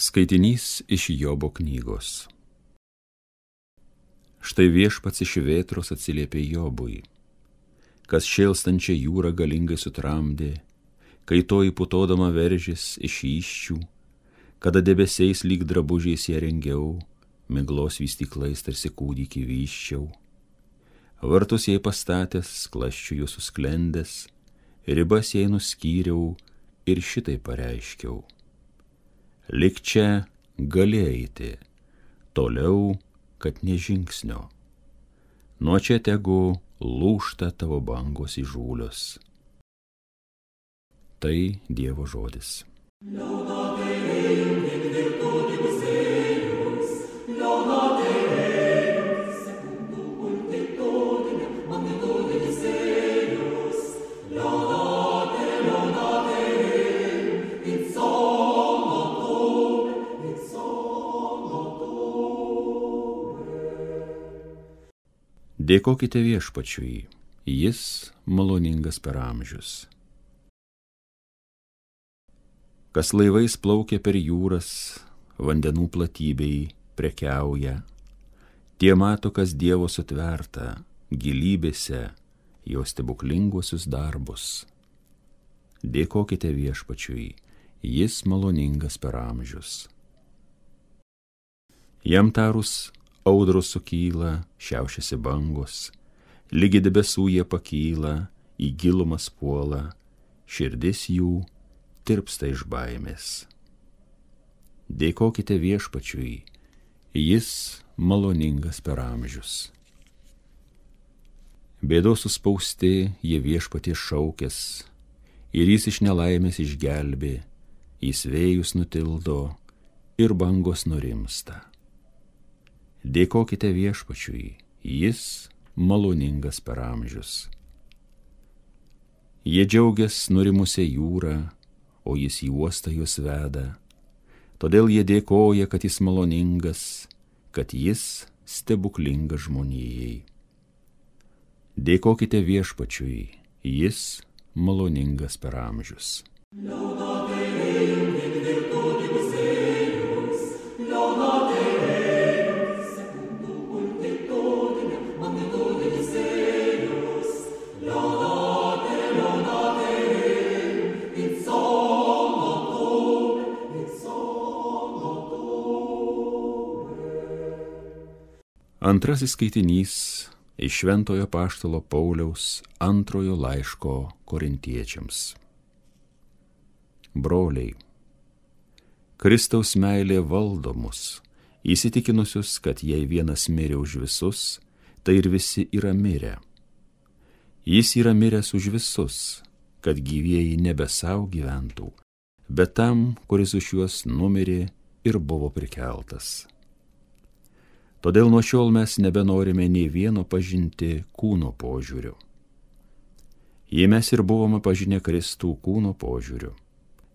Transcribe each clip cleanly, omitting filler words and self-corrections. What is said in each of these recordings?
Skaitinys iš Jobo knygos. Štai viešpats iš vėtros atsiliepė Jobui, kas šėlstančią jūrą galingai sutramdė, kai toji putodama veržės iš įsčių, kada debesiais lyg drabužiais ją rengiau, miglos vystyklais tarsi kūdikį vyščiau. Vartus jai pastatęs, klasčių jų susklendęs, ribas jai nuskyriau ir šitai pareiškiau. Lik čia gali eiti, toliau, kad nė žingsnio. Nuo čia tegu lūžta tavo bangos įžūlios. Tai Dievo žodis. Dėkokite viešpačiui, jis maloningas per amžius. Kas laivais plaukia per jūras, vandenų platybei prekiauja, tie mato, kas Dievo sutverta, gilybėse jo stebuklinguosius darbus. Dėkokite viešpačiui, jis maloningas per amžius. Jam tarus audros sukyla, šiaušiasi bangos, lygi debesų jie pakyla, į gilumas puola, širdis jų tirpsta iš baimės. Dėkokite viešpačiui, jis maloningas per amžius. Bėdos suspausti, jie viešpaties šaukės, ir jis iš nelaimės išgelbė, jis vėjus nutildo ir bangos nurimsta. Dėkokite viešpačiui, jis maloningas per amžius. Jie džiaugias nurimusią jūrą, o jis į uostą juos veda. Todėl jie dėkoja, kad jis maloningas, kad jis stebuklingas žmonijai. Dėkokite viešpačiui, jis maloningas per amžius. Antrasis skaitinys iš Šventojo apaštalo Pauliaus antrojo laiško Korintiečiams. Broliai, Kristaus meilė valdo mus, įsitikinusius, kad jei vienas mirė už visus, tai ir visi yra mirę. Jis yra miręs už visus, kad gyvieji nebe sau gyventų, bet tam, kuris už juos numirė ir buvo prikeltas. Todėl nuo šiol mes nebenorime nei vieno pažinti kūno požiūriu. Jei mes ir buvome pažinę Kristų kūno požiūriu,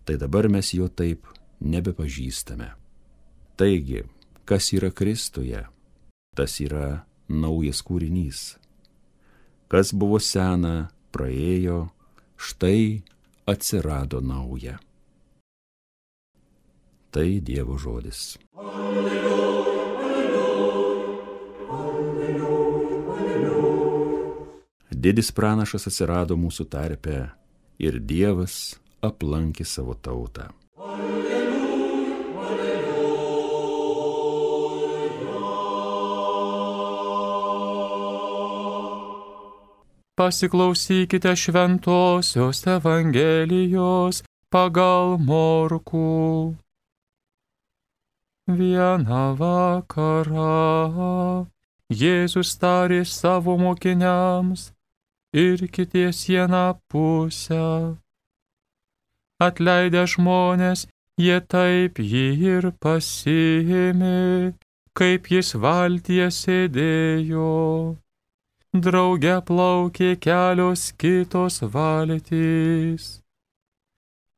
tai dabar mes jo taip nebepažįstame. Taigi, kas yra Kristuje, tas yra naujas kūrinys. Kas buvo sena, praėjo, štai atsirado nauja. Tai Dievo žodis. Didis pranašas atsirado mūsų tarpe ir Dievas aplankė savo tautą. Pasiklausykite šventosios Evangelijos pagal Morkų. Vieną vakarą Jėzus tarė savo mokiniams: ir kities vieną pusę. Atleidę žmonės, jie taip jį ir pasiėmė, kaip jis valtyje sėdėjo. Drauge plaukė kelios kitos valtys.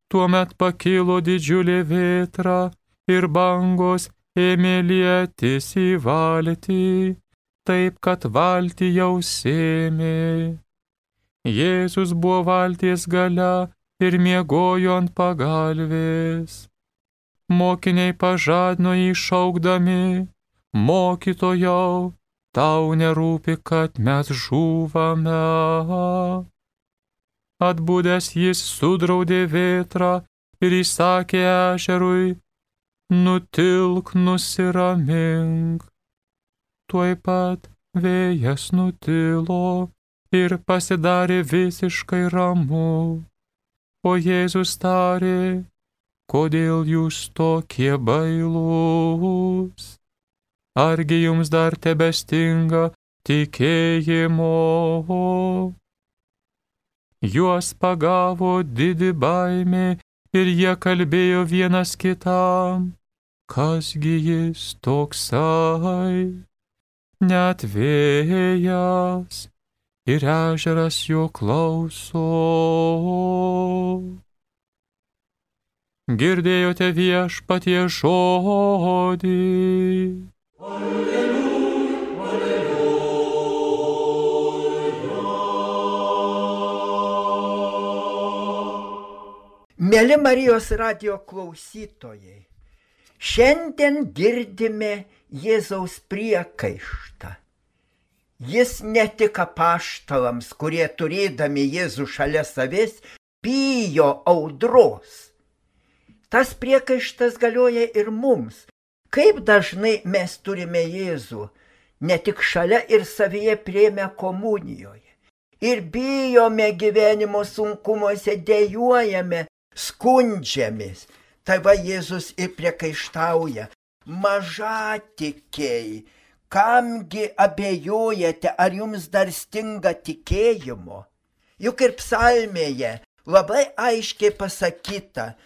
Tuomet pakilo didžiulė vėtra ir bangos ėmė lietis į valtį, taip kad valtį jau sėmė. Jėzus buvo valties gale ir miegojo ant pagalvės. Mokiniai pažadino jį šaukdami: Mokytojau, tau nerūpi, kad mes žūvame. Atbudęs jis sudraudė vėtrą ir įsakė ežerui: Nutilk, nusiramink. Tuoj pat vėjas nutilo ir pasidarė visiškai ramu. O Jėzus tarė: Kodėl jūs tokie bailūs? Argi jums dar tebestinga tikėjimo? Juos pagavo didi baimė ir jie kalbėjo vienas kitam: Kasgi jis toksai? Net vėjas ir ežeras jo klauso. Girdėjote Viešpatie žodį. Alleluja, alleluja. Mėly Marijos radijo klausytojai, šiandien girdime Jėzaus priekaištą. Jis ne tik apaštalams, kurie turėdami Jėzų šalia savęs, bijo audros. Tas priekaištas galioja ir mums. Kaip dažnai mes turime Jėzų, ne tik šalia ir savyje priėmę komunijoje. Ir bijome gyvenimo sunkumuose, dejuojame, skundžiamės. Tai va Jėzus ir priekaištauja: Mažatikiai, kamgi abejojate, ar jums dar stinga tikėjimo? Juk ir psalmėje labai aiškiai pasakyta: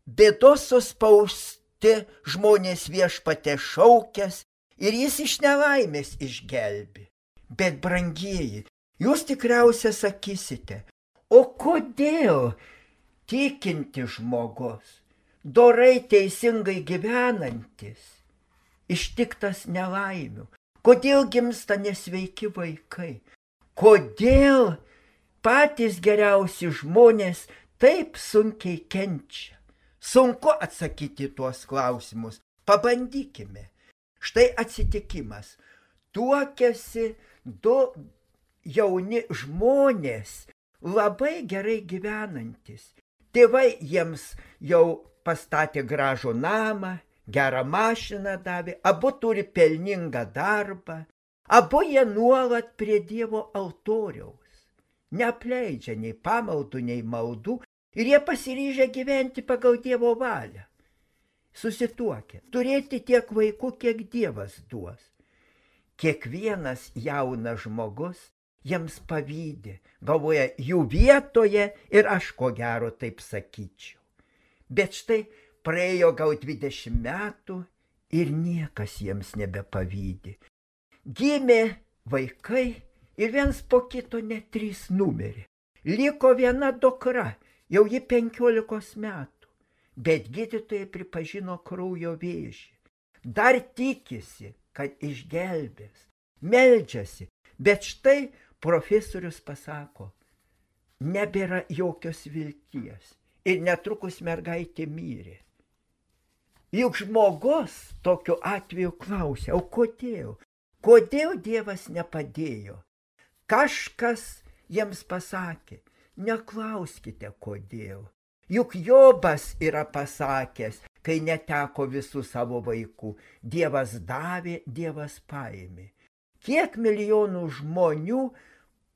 Bėdos suspausti žmonės Viešpatie šaukęs ir jis iš nelaimės išgelbi. Bet, brangieji, jūs tikriausiai sakysite: O kodėl tikinti žmogus, dorai teisingai gyvenantis, ištiktas nelaimių? Kodėl gimsta nesveiki vaikai? Kodėl patys geriausi žmonės taip sunkiai kenčia? Sunku atsakyti tuos klausimus. Pabandykime. Štai atsitikimas. Tuokiasi du jauni žmonės, labai gerai gyvenantis. Tėvai jiems jau pastatė gražų namą, gerą mašiną davė, abu turi pelningą darbą, abu jie nuolat prie Dievo altoriaus. Neapleidžia nei pamaldų, nei maldų. Ir jie pasiryžę gyventi pagal Dievo valią. Susituokę, turėti tiek vaikų, kiek Dievas duos. Kiekvienas jaunas žmogus jiems pavydi, galvoja jų vietoje ir aš ko gero taip sakyčiau. Bet štai praėjo gal 20 metų ir niekas jiems nebepavydi. Gimė vaikai ir viens po kito net 3 numirė. Liko viena dukra. Jau ji 15 metų, bet gydytojai pripažino kraujo vėžį. Dar tikisi, kad išgelbės, meldžiasi, bet štai profesorius pasako: Nebėra jokios vilties ir netrukus mergaitė mirė. Juk žmogus tokiu atveju klausia: O kodėl? Kodėl Dievas nepadėjo? Kažkas jiems pasakė: Neklauskite kodėl. Juk Jobas yra pasakęs, kai neteko visų savo vaikų: Dievas davė, Dievas paėmė. Kiek milijonų žmonių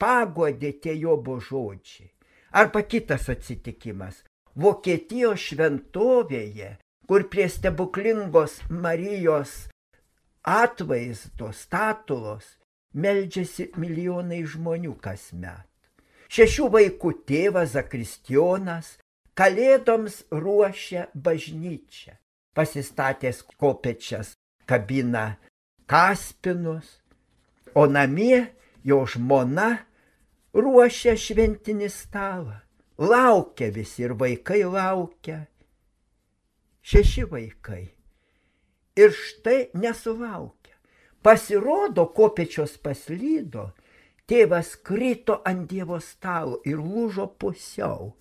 paguodė tie Jobo žodžiai. Arba kitas atsitikimas. Vokietijos šventovėje, kur prie stebuklingos Marijos atvaizdo statulos meldžiasi milijonai žmonių kasmet. 6 vaikų tėvas Zakristijonas Kalėdoms ruošia bažnyčią, pasistatęs kopečias kabina kaspinus, o namie jo žmona ruošia šventinį stalą. Laukia visi ir vaikai laukia. 6 vaikai. Ir štai nesulaukia. Pasirodo, kopečios paslydo, tėvas krito ant Dievo stalo ir lūžo pusiau.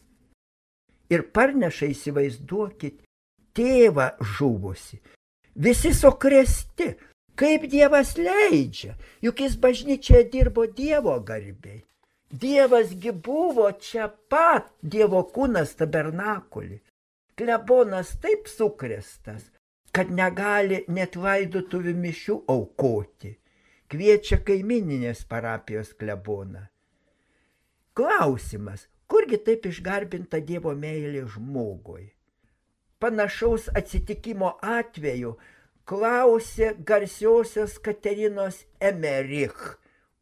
Ir parneša, įsivaizduokit, tėvą žuvusi. Visi sukrėsti, kaip Dievas leidžia, juk jis bažnyčioje dirbo Dievo garbei. Dievasgi buvo čia pat, Dievo kūnas tabernakulį. Klebonas taip sukrėstas, kad negali net laidotuvių mišių aukoti. Kviečia kaimininės parapijos kleboną. Klausimas, kurgi taip išgarbinta Dievo meilė žmogui? Panašaus atsitikimo atveju klausė garsiosios Katerinos Emerich,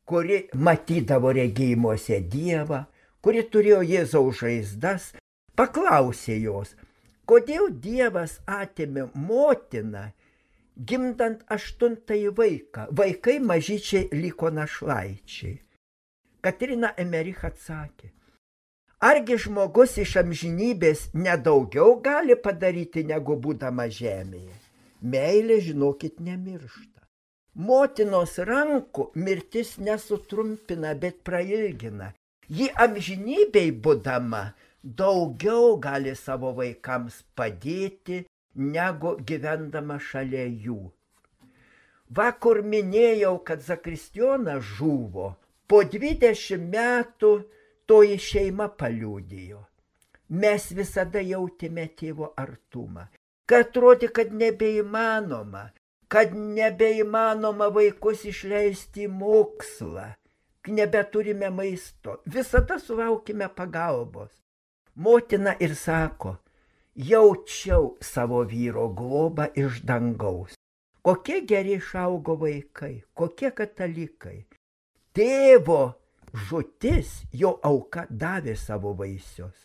kuri matydavo regėjimuose Dievą, kuri turėjo Jėzaus žaizdas, paklausė jos, kodėl Dievas atėmė motiną, gimdant 8 vaiką, vaikai mažyčiai liko našlaičiai. Katerina Emerich atsakė, argi žmogus iš amžinybės nedaugiau gali padaryti, negu būdama žemėje? Meilė, žinokit, nemiršta. Motinos rankų mirtis nesutrumpina, bet prailgina. Ji amžinybei būdama daugiau gali savo vaikams padėti, negu gyvendama šalia jų. Vakar minėjau, kad zakristijonas žuvo. Po 20 metų toji šeima paliudijo. Mes visada jautėme tėvo artumą, kad atrodė, kad nebeįmanoma vaikus išleisti į mokslą, nebeturime maisto, visada sulaukime pagalbos. Motina ir sako, jaučiau savo vyro globą iš dangaus. Kokie geri išaugo vaikai, kokie katalikai. Tėvo žūtis, jo auka davė savo vaisius.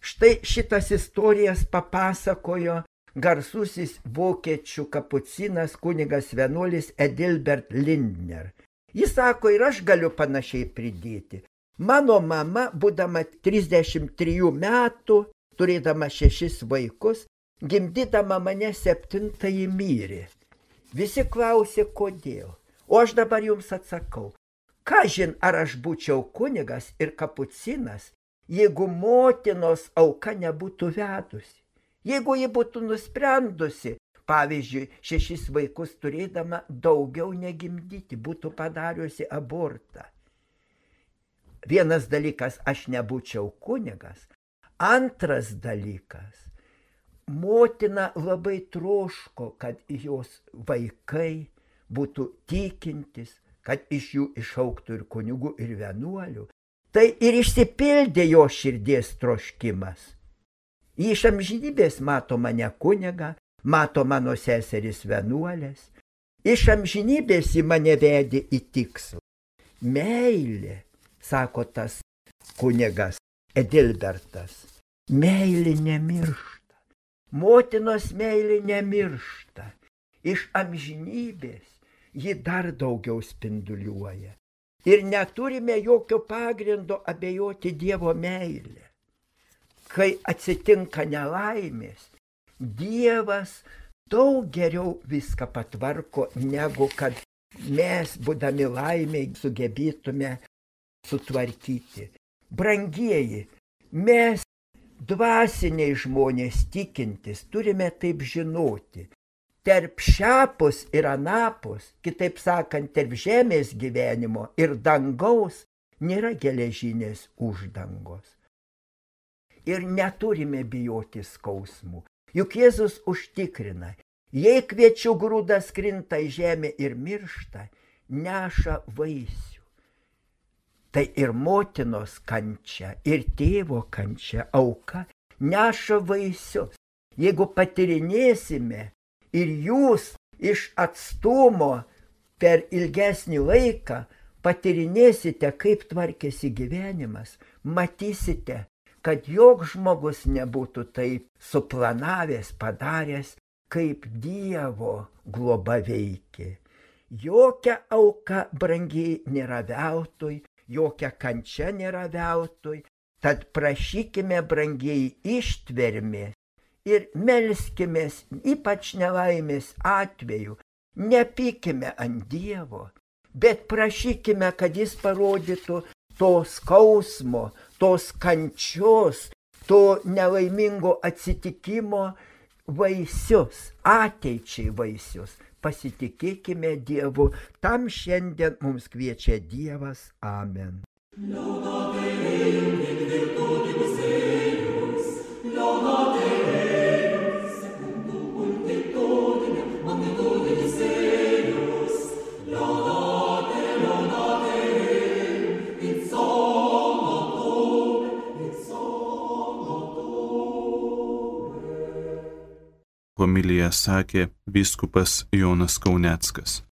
Štai šitas istorijas papasakojo garsusis vokiečių kapucinas kunigas vienuolis Adalbert Lindner. Jis sako, ir aš galiu panašiai pridėti. Mano mama, būdama 33 metų, turėdama 6 vaikus, gimdydama mane 7 mirė. Visi klausė, kodėl. O aš dabar jums atsakau, kažin ar aš būčiau kunigas ir kapucinas, jeigu motinos auka nebūtų vedusi. Jeigu ji būtų nusprendusi, pavyzdžiui, 6 vaikus turėdama daugiau negimdyti, būtų padariusi abortą. Vienas dalykas, aš nebūčiau kunigas. Antras dalykas, motina labai troško, kad jos vaikai būtų tikintis, kad iš jų išaugtų ir kunigų, ir vienuolių. Tai ir išsipildė jo širdies troškimas. Iš amžinybės mato mane kunigą, mato mano seseris vienuolės. Iš amžinybės į mane vedė į tikslą. Meilė, sako tas kunigas Adalbertas, meilė nemiršta. Motinos meilė nemiršta. Iš amžinybės ji dar daugiau spinduliuoja. Ir neturime jokio pagrindo abejoti Dievo meilę. Kai atsitinka nelaimės, Dievas daug geriau viską patvarko, negu kad mes, būdami laimiai, sugebėtume sutvarkyti. Brangieji, mes, dvasiniai žmonės tikintis, turime taip žinoti. Tarp šiapus ir anapus, kitaip sakant, tarp žemės gyvenimo ir dangaus, nėra geležinės uždangos. Ir neturime bijoti skausmų. Juk Jėzus užtikrina, jei kviečių grūdas krinta į žemę ir miršta, neša vaisių. Tai ir motinos kančia, ir tėvo kančia, auka, neša vaisius. Jeigu patyrinėsime ir jūs iš atstumo per ilgesnį laiką patyrinėsite, kaip tvarkėsi gyvenimas, matysite, kad joks žmogus nebūtų taip suplanavęs, padaręs, kaip Dievo globa veikė. Jokia auka, brangiai, nėra veltui, jokia kančia nėra veltui, tad prašykime, brangiai, ištvermės ir melskimės, ypač nelaimės atveju, nepykime ant Dievo, bet prašykime, kad jis parodytų to skausmo, tos kančios, to nelaimingo atsitikimo vaisius, ateičiai vaisius. Pasitikėkime Dievu, tam šiandien mums kviečia Dievas. Amen. Homiliją sakė vyskupas Jonas Kauneckas.